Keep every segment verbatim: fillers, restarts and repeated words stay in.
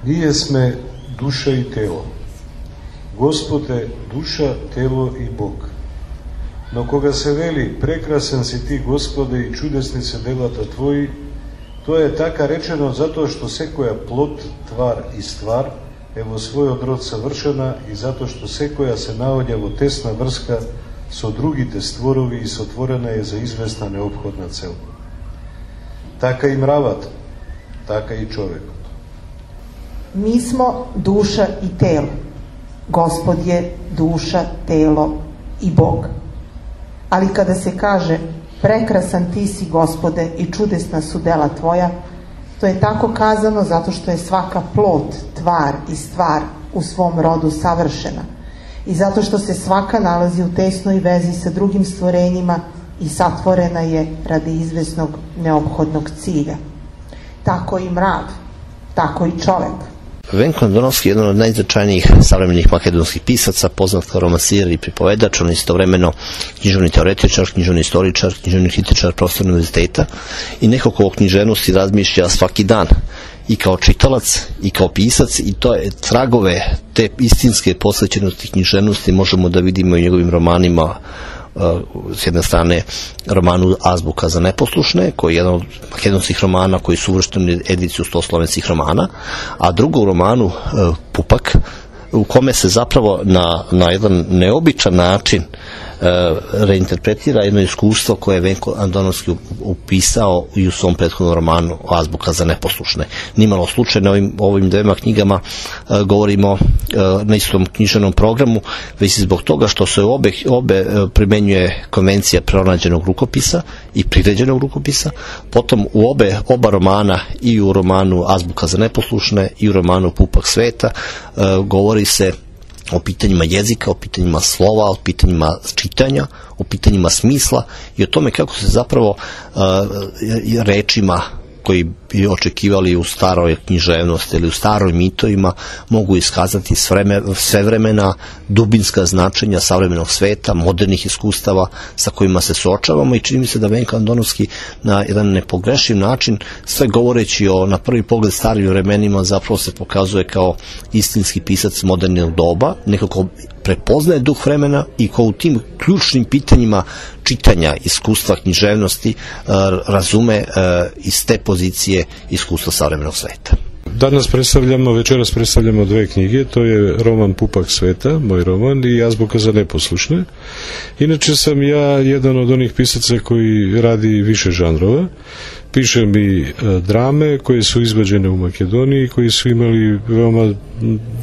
Nije sme duša i telo. Gospode, duša, telo i Bog. No koga se veli, prekrasan si ti, Gospode, i čudesni se delata tvoji, to je taka rečeno zato što sekoja plot, tvar i stvar, evo svoj odrod savršena, i zato što sekoja se naodjavo tesna vrska so drugite stvorovi i sotvorena je za izvesna neophodna cel. Taka i mravat, taka i čovek. Mi smo duša i telo. Gospod je duša, telo i Bog. Ali kada se kaže prekrasan ti si, Gospode, i čudesna su dela tvoja, to je tako kazano zato što je svaka plot, tvar i stvar u svom rodu savršena i zato što se svaka nalazi u tesnoj vezi sa drugim stvorenjima i satvorena je radi izvesnog neophodnog cilja. Tako i mrav, tako i čovek. Venko Andonovski je jedan od najznačajnijih savremenih makedonskih pisaca, poznat kao romansir i pripovedač, on je istovremeno književni teoretičar, književni istoričar, književni kritičar, profesor univerziteta i neko ko o književnosti razmišlja svaki dan i kao čitalac i kao pisac, i to je tragove te istinske posvećenosti književnosti možemo da vidimo i u njegovim romanima. S jedne strane romanu Azbuka za neposlušne, koji je jedan od makedonskih romana koji su uvršteni u ediciju sto slovenskih romana, a drugo u romanu Pupak, u kome se zapravo na, na jedan neobičan način reinterpretira jedno iskustvo koje je Venko Andonovski upisao i u svom prethodnom romanu Azbuka za neposlušne. Nimalo slučajno ovim, ovim dvema knjigama uh, govorimo uh, na istom književnom programu, već i zbog toga što se obe, obe uh, primenjuje konvencija pronađenog rukopisa i priređenog rukopisa. Potom u obe, oba romana, i u romanu Azbuka za neposlušne i u romanu Pupak sveta, uh, govori se o pitanjima jezika, o pitanjima slova, o pitanjima čitanja, o pitanjima smisla i o tome kako se zapravo uh, rečima koji bi očekivali u staroj književnosti ili u staroj mitovima mogu iskazati sve vremena dubinska značenja savremenog sveta, modernih iskustava sa kojima se suočavamo, i čini mi se da Venko Andonovski na jedan nepogrešiv način, sve govoreći o na prvi pogled starim vremenima, zapravo se pokazuje kao istinski pisac modernog doba, nekako prepoznaje duh vremena i ko u tim ključnim pitanjima čitanja, iskustva, književnosti razume iz te pozicije iskustva savremenog sveta. Danas predstavljamo, večeras predstavljamo dve knjige, to je roman Pupak sveta, moj roman, i Azbuka za neposlušne. Inače sam ja jedan od onih pisaca koji radi više žanrova. Pišem i drame koje su izvođene u Makedoniji, koji su imali veoma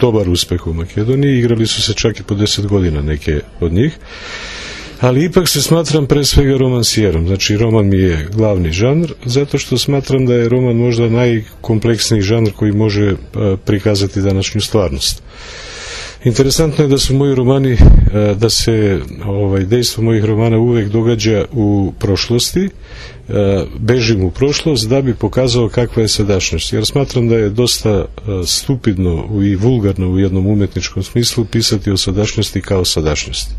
dobar uspeh u Makedoniji, igrali su se čak i po deset godina neke od njih. Ali ipak se smatram pre svega romansijerom, znači roman mi je glavni žanr, zato što smatram da je roman možda najkompleksniji žanr koji može prikazati današnju stvarnost. Interesantno je da su moji romani, da se ovaj, dejstvo mojih romana uvek događa u prošlosti, bežim u prošlost da bi pokazao kakva je sadašnjost, jer smatram da je dosta stupidno i vulgarno u jednom umetničkom smislu pisati o sadašnjosti kao sadašnjosti.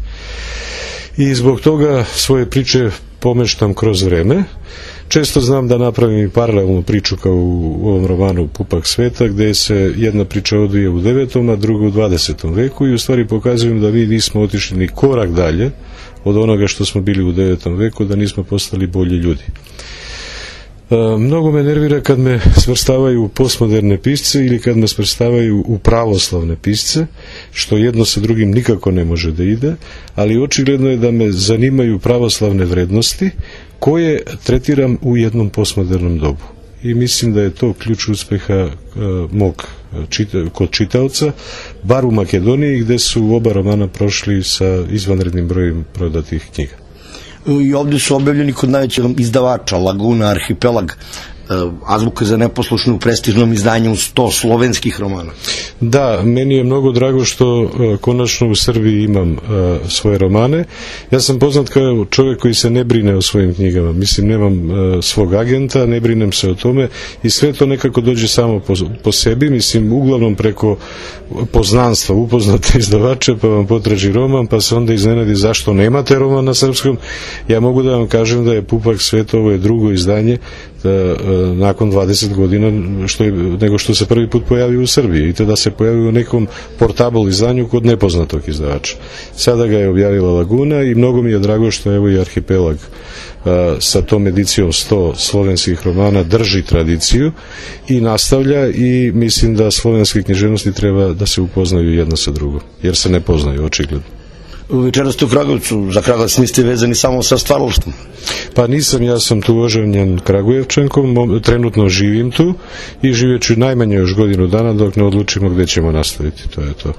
I zbog toga svoje priče pomeštam kroz vreme. Često znam da napravim i paralelnu priču kao u ovom romanu Pupak sveta, gde se jedna priča odvija u devetom, a druga u dvadesetom veku, i u stvari pokazujem da mi nismo otišli ni korak dalje od onoga što smo bili u devetom veku, da nismo postali bolji ljudi. E, mnogo me nervira kad me svrstavaju u postmoderne pisce ili kad me svrstavaju u pravoslavne pisce, što jedno sa drugim nikako ne može da ide, ali očigledno je da me zanimaju pravoslavne vrednosti koje tretiram u jednom postmodernom dobu. I mislim da je to ključ uspeha e, mog čita, kod čitaoca, bar u Makedoniji, gde su oba romana prošli sa izvanrednim brojem prodatih knjiga. I ovdje su objavljeni kod najvećeg izdavača Laguna Arhipelag, Azbuka za neposlušne u prestižnom izdanju sto slovenskih romana. Da, meni je mnogo drago što uh, konačno u Srbiji imam uh, svoje romane. Ja sam poznat kao čovjek koji se ne brine o svojim knjigama. Mislim, nemam uh, svog agenta, ne brinem se o tome i sve to nekako dođe samo po, po sebi. Mislim, uglavnom preko poznanstva upoznate izdavače, pa vam potraži roman, pa se onda iznenadi zašto nemate roman na srpskom. Ja mogu da vam kažem da je Pupak sveta, ovo je drugo izdanje, da, nakon dvadeset godina što je, nego što se prvi put pojavio u Srbiji i to da se pojavio u nekom portable izdanju kod nepoznatog izdavača. Sada ga je objavila Laguna i mnogo mi je drago što evo i Arhipelag sa tom edicijom sto slovenskih romana drži tradiciju i nastavlja i mislim da slovenske književnosti treba da se upoznaju jedna sa drugom, jer se ne poznaju očigledno. Večera ste u Kragujevcu, za Kragujevac niste vezani samo sa stvaralaštvom? Pa nisam, ja sam tu oženjen Kragujevčankom, trenutno živim tu i živjet ću najmanje još godinu dana dok ne odlučimo gde ćemo nastaviti, to je to.